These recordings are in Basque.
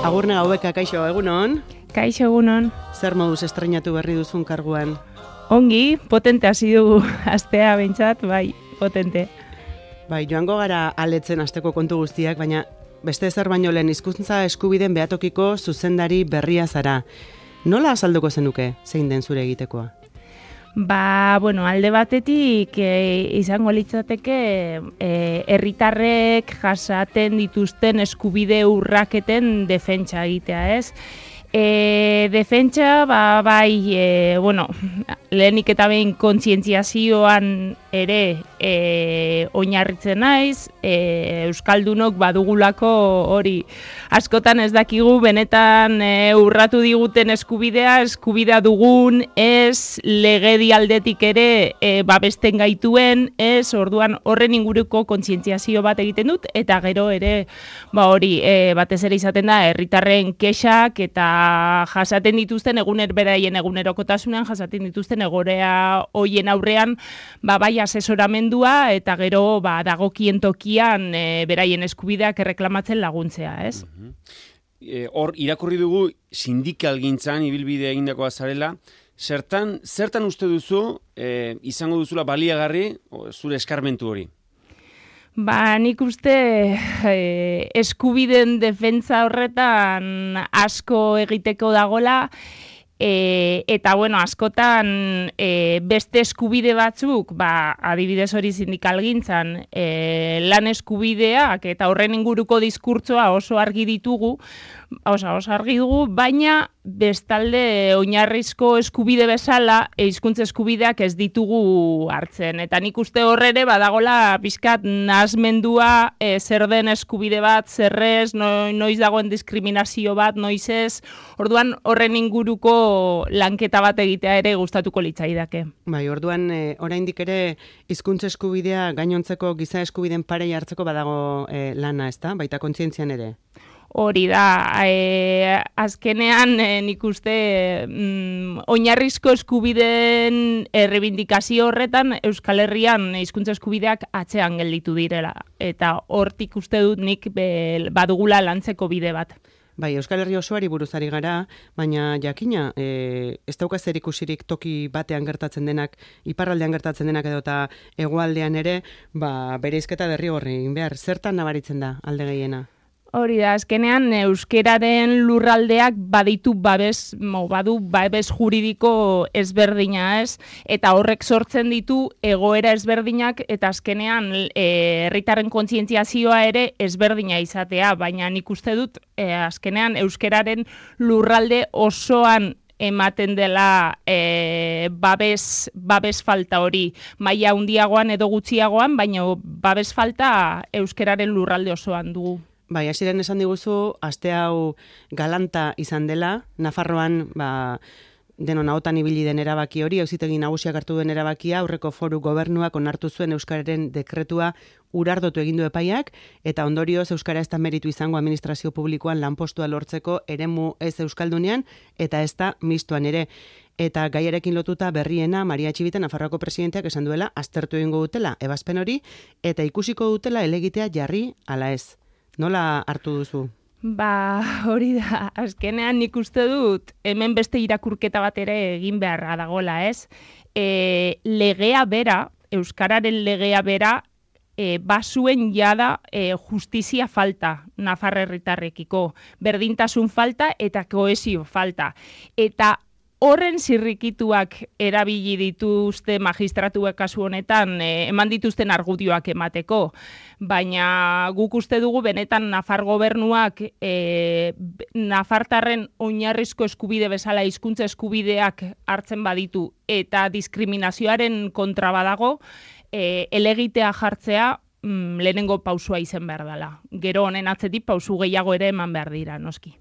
Agurne gaueka, kaixo, egunon? Kaixo, egunon. Zer moduz estrenatu berri duzun karguan? Ongi, potente hasi dugu astea behintzat, bai, potente. Bai, joango gara aletzen asteko kontu guztiak, baina beste ezer baino lehen hizkuntza eskubideen behatokiko zuzendari berria zara. Nola azalduko zenuke, zein den zure egitekoa? Alde batetik izango litzateke herritarrek jasaten dituzten eskubide urraketen defentsa egitea, ez? Defentsa, lehenik eta behin kontzientziazioan ere oinarritzen naiz, euskaldunok badugulako hori askotan ez dakigu benetan urratu diguten eskubidea dugun, ez legedi aldetik ere babesten gaituen, ez orduan horren inguruko kontzientziazio bat egiten dut, eta gero ere batez ere izaten da herritarren kexak eta jasaten dituzten beraien egunerokotasunean jasaten dituzten egoera hoien aurrean bai asesoramendua eta gero dagokien tokian beraien eskubideak erreklamatzen laguntzea, ez? Hor irakurri dugu sindikalgintzan ibilbidea egindakoa zarela, zertan uste duzu izango duzula baliagarri zure eskarmentu hori? Nik uste eskubideen defentsa horretan asko egiteko dagola, eta askotan beste eskubide batzuk, adibidez hori sindikalgintzan, lan eskubideak eta horren inguruko diskurtsoa oso argi ditugu, oso argi dugu, baina bestalde oinarrizko eskubide bezala hizkuntza eskubideak ez ditugu hartzen. Eta nik uste horrere badagola pixkat nahasmendua zer den eskubide bat, zerrez, noiz dagoen diskriminazio bat, noiz ez. Orduan horren inguruko lanketa bat egitea ere gustatuko litzaidake. Bai, orduan oraindik ere hizkuntza eskubidea gainontzeko giza eskubideen parei hartzeko badago lana, ezta? Baita kontzientzian ere. Hori da, azkenean nik uste oinarrizko eskubideen errebindikazio horretan Euskal Herrian hizkuntza eskubideak atzean gelditu direla. Eta hortik uste dut nik badugula lantzeko bide bat. Bai, Euskal Herri osoari buruz ari gara, baina jakina, ez dauka zer ikusirik toki batean gertatzen denak, iparraldean gertatzen denak edo eta hegoaldean ere, bereizketa derrigorri egin behar. Zertan nabaritzen da alde gehiena? Hori da, azkenean euskeraren lurraldeak badu babes juridiko ezberdina, ez? Eta horrek sortzen ditu egoera ezberdinak eta azkenean herritarren kontzientziazioa ere ezberdina izatea, baina nik uste dut azkenean euskeraren lurralde osoan ematen dela babes falta hori, maila handiagoan edo gutxiagoan, baina babes falta euskeraren lurralde osoan dugu. Bai, hasiren esan diguzu, aste hau galanta izan dela, Nafarroan denon ahotan ibili den erabaki hori, auzitegi nagusiak hartu duen erabakia, aurreko foru gobernuak onartu zuen euskararen dekretua urardotu egin du epaiak, eta ondorioz euskara ez da meritu izango administrazio publikoan lanpostua lortzeko eremu ez euskaldunean, eta ez da mistoan ere. Eta gaiarekin lotuta berriena Maria Txibite Nafarroako presidenteak esan duela aztertu egingo dutela ebazpen hori, eta ikusiko dutela helegitea jarri ala ez. Nola hartu duzu? Hori da, azkenean nik uste dut hemen beste irakurketa bat ere egin beharra dagoela, ez? Legea bera, euskararen legea bera, bazuen jada justizia falta Nafar herritarrekiko, berdintasun falta eta kohesio falta. Eta horren zirrikituak erabili dituzte magistratuak kasu honetan, eman dituzten argudioak emateko. Baina guk uste dugu benetan Nafar gobernuak nafartarren oinarrizko eskubide bezala hizkuntza eskubideak hartzen baditu eta diskriminazioaren kontra badago, helegitea jartzea lehenengo pausua izen behar dela. Gero honen atzetik pausu gehiago ere eman behar dira, noski.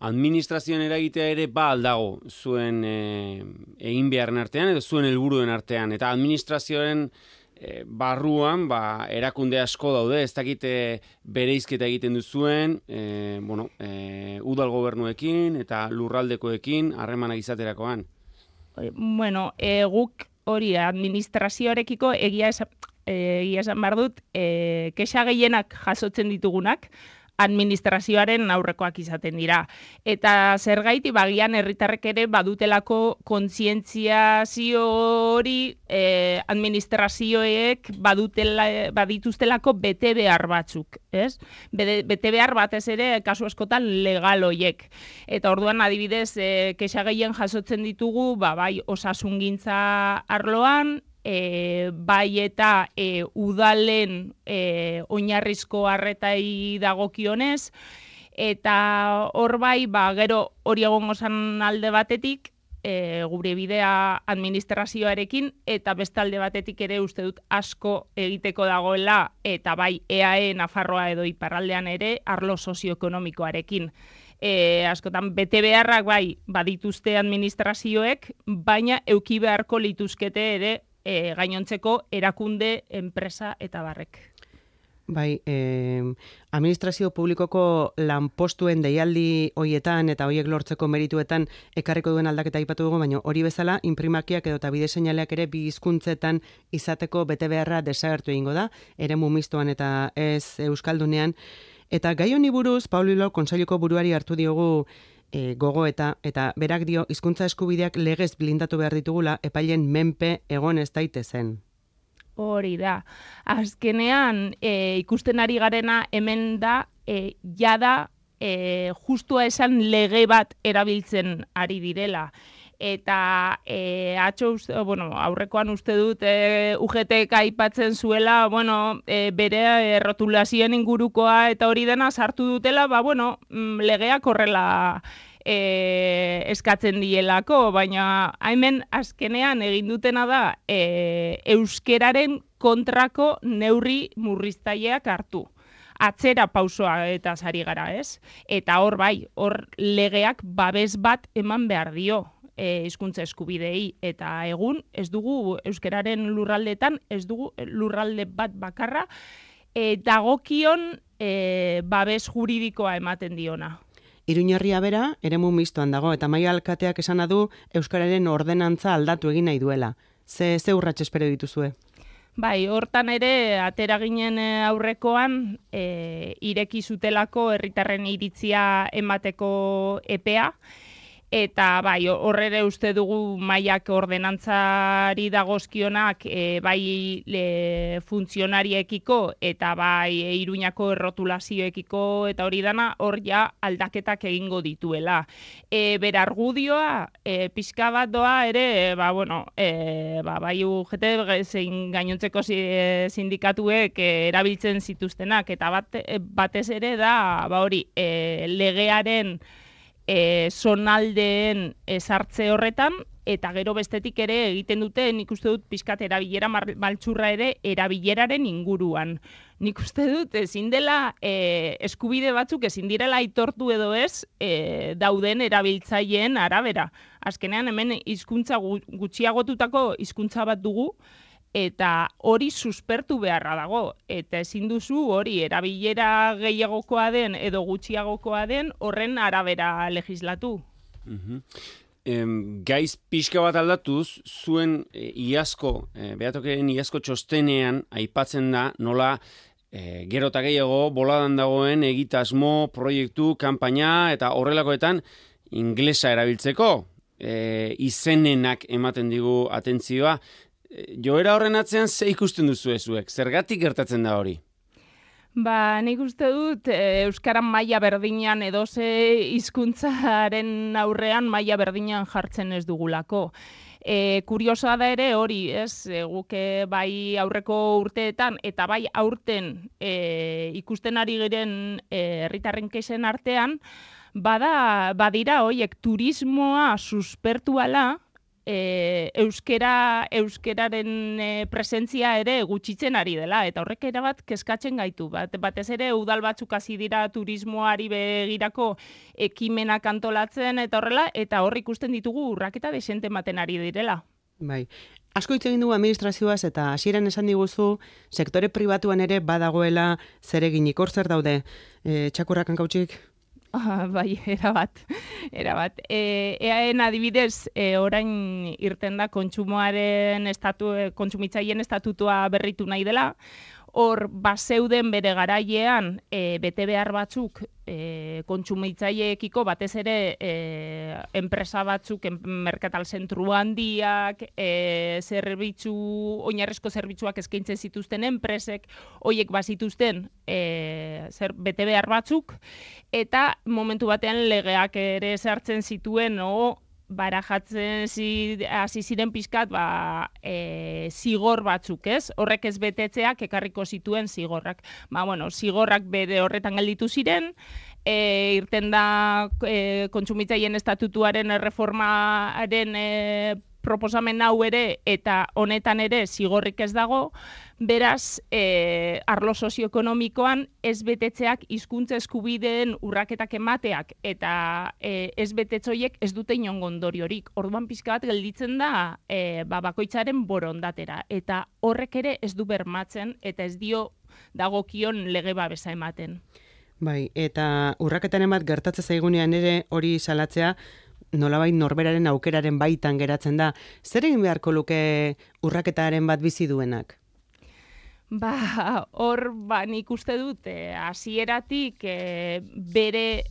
Administrazioen eragitea ere aldago zuen egin beharren artean edo zuen helburuen artean. Eta administrazioen barruan erakunde asko daude, ez dakite bereizketa egiten duzuen, udal gobernuekin eta lurraldekoekin harremanak izaterakoan. Guk hori administrazioarekiko egia esan behar dut, kexa gehienak jasotzen ditugunak, administrazioaren aurrekoak izaten dira. Eta zergaiti bagian herritarrek ere badutelako kontzientziazio hori administrazioek badituztelako bete behar batzuk, ez? Bete behar batez ere kasu askotan legal hoiek. Eta orduan adibidez kexa gehien jasotzen ditugu, bai osasungintza arloan, bai eta udalen oinarrizko arretai dagokionez, eta hor bai, gero hori egongo zan alde batetik, gure bidea administrazioarekin, eta bestalde batetik ere uste dut asko egiteko dagoela, eta bai EAE Nafarroa edo iparraldean ere arlo sozioekonomikoarekin. Askotan bete beharrak bai badituzte administrazioek, baina euki beharko lituzkete ere gainontzeko erakunde, enpresa eta barrek. Bai, administrazio publikoko lanpostuen deialdi hoietan eta hoiek lortzeko merituetan ekarriko duen aldaketa aipatu dugu, baina hori bezala inprimakiak edo eta bide seinaleak ere bi hizkuntzetan izateko bete beharra desagertu egingo da, eremu mistoan eta ez euskaldunean. Eta gai honi buruz, Paulilo Kontseiluko buruari hartu diogu gogoeta, eta berak dio hizkuntza eskubideak legez blindatu behar ditugula epailen menpe egon ez daitezen. Hori da. Azkenean ikusten ari garena hemen da jada justua esan lege bat erabiltzen ari direla. Eta aurrekoan uste dut UGTek aipatzen zuela, bere rotulazioen ingurukoa eta hori dena sartu dutela, legeak horrela eskatzen dielako, baina hemen azkenean egin dutena da euskeraren kontrako neurri murriztaileak hartu. Atzera pausoa eta sari gara, ez? Eta hor bai, hor legeak babes bat eman behar dio hizkuntza eskubidei, eta egun ez dugu euskeraren lurraldeetan, ez dugu lurralde bat bakarra dagokion babes juridikoa ematen diona. Iruñerria bera, eremu mistoan dago, eta Maia alkateak esana du euskararen ordenantza aldatu egin nahi duela. Ze urrats espero dituzue? Bai, hortan ere, atera ginen aurrekoan, ireki zutelako herritarren iritzia emateko epea, eta bai, horrere uste dugu mailak ordenantzari dagozkionak bai funtzionariekiko eta bai Iruñako errotulazioekiko eta hori dana hor ja aldaketak egingo dituela. Bere argudioa pixka bat doa ere, bai UGT zein gainontzeko sindikatuek erabiltzen zituztenak, eta batez ere da hori legearen zonaldeen sartze horretan, eta gero bestetik ere egiten dute, nik uste dut pixkat erabilera maltsurra ere erabileraren inguruan. Nik uste dut ezin dela eskubide batzuk ezin direla aitortu edo ez dauden erabiltzaileen arabera. Azkenean hemen hizkuntza gutxiagotutako hizkuntza bat dugu, eta hori suspertu beharra dago, eta ezin duzu hori erabilera gehiagokoa den edo gutxiagokoa den horren arabera legislatu. Gaiz pixka bat aldatuz, zuen behatokeen iazko txostenean aipatzen da nola gero eta gehiago boladan dagoen egitasmo, proiektu, kanpaina eta horrelakoetan inglesa erabiltzeko izenenak ematen digu atentzioa. Joera horren atzean ze ikusten duzu zuek? Zergatik gertatzen da hori? Nik uste dut euskaran maila berdinean edo ze hizkuntzaren aurrean maila berdinean jartzen ez dugulako. Kuriosoa da ere hori, ez, guk bai aurreko urteetan eta bai aurten ikusten ari giren herritarren kexen artean, badira hoiek turismoa suspertuala, euskeraren presentzia ere gutxitzen ari dela, eta horrek erabat kezkatzen gaitu. Batez ere udal batzuk hasi dira turismoari begirako ekimenak antolatzen eta horrela, eta hor ikusten ditugu urraketa desente ematen ari direla. Bai. Asko hitz egin dugu administrazioaz eta hasieran esan diguzu sektore pribatuan ere badagoela zereginik. Hor zer daude? Txakurrak hankautsik? Bai, erabat. EAEN adibidez, orain irten da kontsumitzaileen estatutua berritu nahi dela. hor bazeuden bere garailean bete behar batzuk kontsumitzaileekiko, batez ere enpresa batzuk, merkatal zentru handiak, oinarrizko zerbitzuak eskaintzen zituzten enpresek, hoiek bazituzten bete behar batzuk, eta momentu batean legeak ere sartzen zituen, barajatzen hasi ziren pixkat zigor batzuk, ez? Horrek ez betetzeak ekarriko zituen zigorrak. Zigorrak bere horretan gelditu ziren, irten da kontsumitzaileen estatutuaren erreformaren proposamen hau ere, eta honetan ere zigorrik ez dago, beraz, arlo sozioekonomikoan ez betetzeak hizkuntza eskubideen urraketak emateak, eta ez betetzoiek ez dute inongo ondoriorik. Orduan pixka bat gelditzen da bakoitzaren borondatera, eta horrek ere ez du bermatzen, eta ez dio dagokion lege babesa ematen. Bai, eta urraketaren bat gertatzen zaigunean ere hori salatzea, nolabait norberaren aukeraren baitan geratzen da. Zer egin beharko luke urraketaren bat bizi duenak? Hor, nik uste dut, hasieratik bere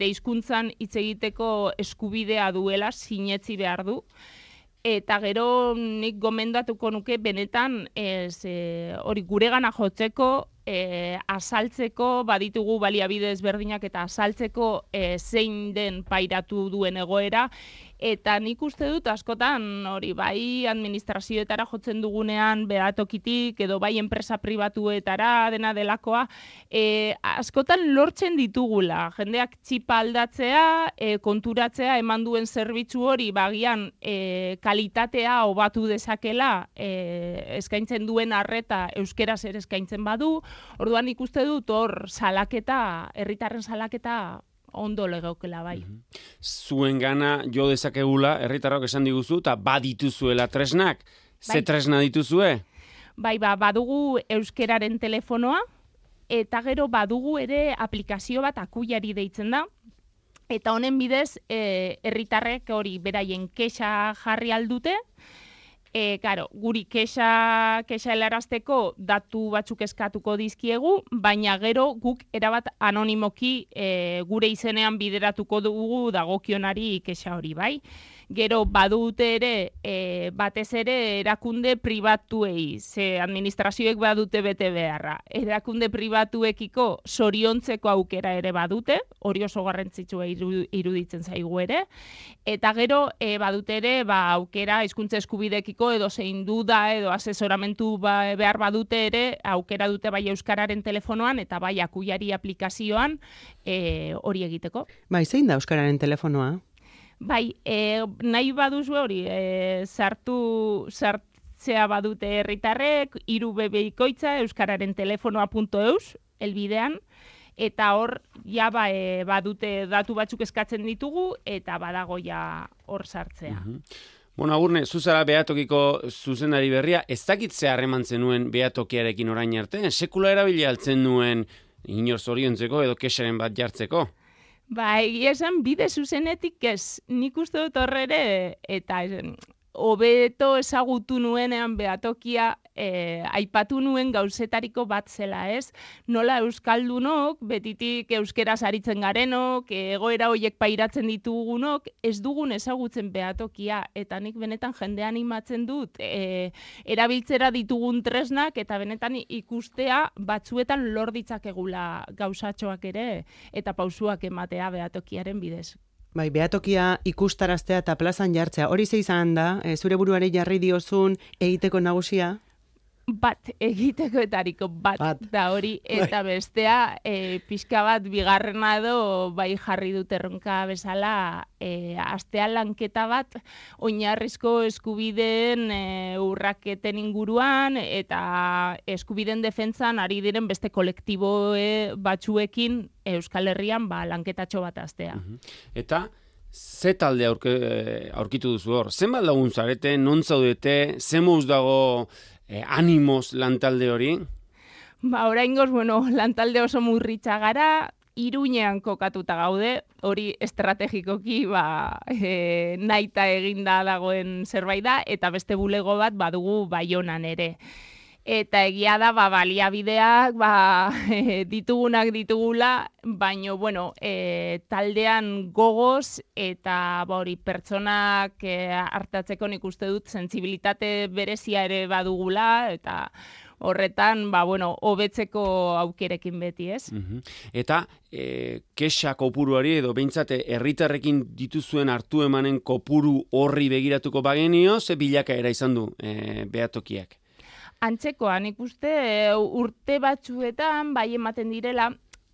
hizkuntzan hitz egiteko eskubidea duela sinetsi behar du. Eta gero nik gomendatuko nuke benetan hori guregana jotzeko, azaltzeko, baditugu baliabide ezberdinak eta azaltzeko zein den pairatu duen egoera, eta nik uste dut askotan hori bai administrazioetara jotzen dugunean behatokitik edo bai enpresa pribatuetara dena delakoa, askotan lortzen ditugula. Jendeak txipa aldatzea, konturatzea eman duen zerbitzu hori bagian kalitatea hobatu dezakela, eskaintzen duen arreta euskeraz ere eskaintzen badu. Orduan ikuste dut hor salaketa, herritarren salaketa ondo legeukela bai. Zuen gana jo dezakegula, herritarrok esan diguzu, eta badituzuela tresnak. Ze tresna dituzue? Badugu euskeraren telefonoa, eta gero badugu ere aplikazio bat akuiari deitzen da, eta honen bidez herritarrek hori beraien kexa jarri aldute, guri kexa helarazteko datu batzuk eskatuko dizkiegu, baina gero guk erabat anonimoki gure izenean bideratuko dugu dagokionari kexa hori, bai? Gero badute ere, batez ere erakunde pribatuei, ze administrazioek badute bete beharra. Erakunde pribatuekiko zoriontzeko aukera ere badute, hori oso garrantzitsua iruditzen zaigu ere, eta gero badute ere aukera hizkuntza eskubidekiko edo zein duda edo asesoramentu behar badute ere, aukera dute bai euskararen telefonoan eta bai akuiari aplikazioan hori egiteko. Bai, zein da euskararen telefonoa? Bai, nahi baduzu hori, sartzea badute herritarrek, 3 bikoitza euskararen telefonoa.eus, elbidean, eta hor, badute datu batzuk eskatzen ditugu, eta badago hor sartzea. Agurne, zuzara behatokiko zuzendari berria, ez dakit ze harreman zenuen behatokiarekin orain arte? Sekula erabili altzen nuen inor zoriontzeko edo kexaren bat jartzeko? Egia esan bide zuzenetik ez, nik uste dut horrere, eta hobeto ezagutu nuenean behatokia aipatu nuen gauzetariko bat zela, ez? Nola euskaldunok, betitik euskeraz aritzen garenok, egoera horiek pairatzen ditugunok, ez dugun ezagutzen behatokia, eta nik benetan jende animatzen dut, erabiltzera ditugun tresnak, eta benetan ikustea batzuetan lor ditzakegula gauzatxoak ere, eta pausuak ematea behatokiaren bidez. Bai, behatokia ikustaraztea eta plazan jartzea, hori ze izan da, zure buruari jarri diozun egiteko nagusia? Bat, egitekoetariko bat da hori, eta bestea pixka bat bigarrena edo bai jarri dut erronka bezala astea lanketa bat oinarrizko eskubideen urraketen inguruan eta eskubideen defentsan ari diren beste kolektibo batzuekin Euskal Herrian lanketatxo bat astea. Eta ze talde aurkitu duzu hor? Zenbat lagun zarete, non zaudete, ze mouz dago animoz lantalde hori? Oraingoz, lantalde oso murritza gara, Iruñean kokatuta gaude, hori estrategikoki nahita eginda dagoen zerbait da, eta beste bulego bat badugu Baionan ere. Eta egia da, baliabideak, ditugunak ditugula, baino, bueno, taldean gogoz eta hori pertsonak hartatzeko nik uste dut sentsibilitate berezia ere badugula, eta horretan, hobetzeko aukerekin beti, ez? Eta kexa kopuruari edo behintzat herritarrekin dituzuen hartu emanen kopuru horri begiratuko bagenio, ze bilakaera izan du behatokiak? Antzekoan, ikuste urte batzuetan bai ematen direla,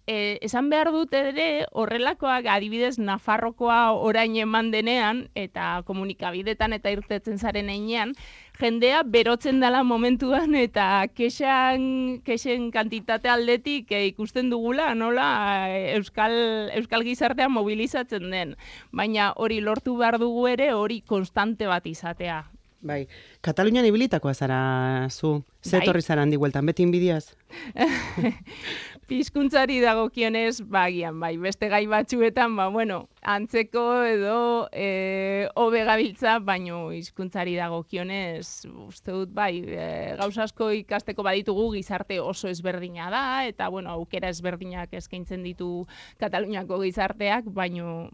esan behar dut ere horrelakoak adibidez Nafarrokoa orain eman denean eta komunikabidetan eta irtetzen zaren heinean, jendea berotzen dela momentuan eta kexen kantitate aldetik ikusten dugula nola euskal gizartea mobilizatzen den. Baina hori lortu behar dugu ere hori konstante bat izatea. Bai, Katalunian ibilitakoa zara zu, zetorri zara handi bueltan, beti inbidiaz? Hizkuntzari dagokionez, bagian, beste gai batzuetan, antzeko edo hobe gabiltza, baino hizkuntzari dagokionez, uste dut, gauza asko ikasteko baditugu gizarte oso ezberdina da, eta, aukera ezberdinak eskaintzen ditu Kataluniako gizarteak, baino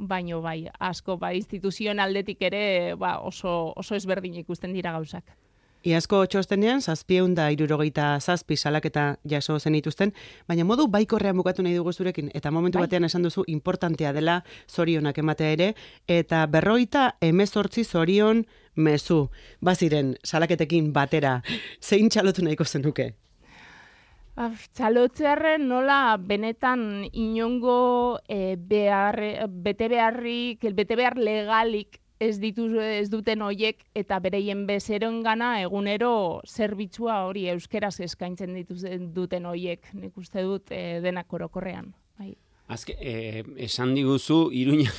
asko, instituzioen aldetik ere, oso ezberdin ikusten dira gauzak. Iazko txostenean, 767 salaketa jaso zenituzten, baina modu baikorrean bukatu nahi dugu zurekin, eta momentu batean esan duzu importantea dela zorionak ematea ere, eta 58 zorion mezu. Baziren, salaketekin batera, zein txalotu nahiko zenuke? Txalotzearren nola benetan inongo bete behar legalik ez duten hoiek eta bereien bezeroen gana egunero zerbitzua hori euskeraz eskaintzen duten hoiek. Nik uste dut denak orokorrean. Esan diguzu Iruña,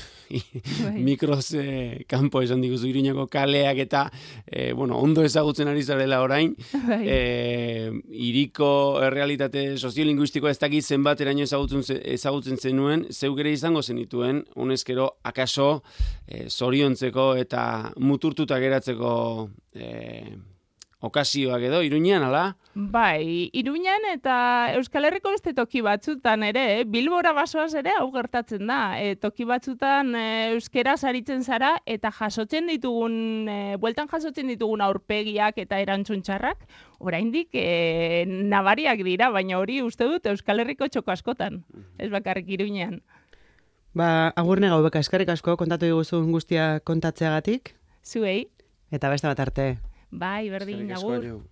mikroz kanpo esan diguzu Iruñako kaleak eta ondo ezagutzen ari zarela orain. Hiriko errealitate soziolinguistikoa ez dakit zenbateraino ezagutzen zenuen, zeuk ere izango zenituen, honezkero akaso zoriontzeko eta muturtuta geratzeko okasioak edo, Iruñan, ala? Bai, Iruñan eta Euskal Herriko beste toki batzutan ere, Bilbora basoaz ere hau gertatzen da. Toki batzutan euskeraz aritzen zara eta bueltan jasotzen ditugun aurpegiak eta erantzun txarrak, oraindik nabariak dira, baina hori uste dut Euskal Herriko txoko askotan, ez bakarrik Iruñan. Agurne gau beka, eskerrik asko kontatu diguzun guztia kontatzeagatik. Zuei. Eta beste bat arte. Bai, berdin, agur.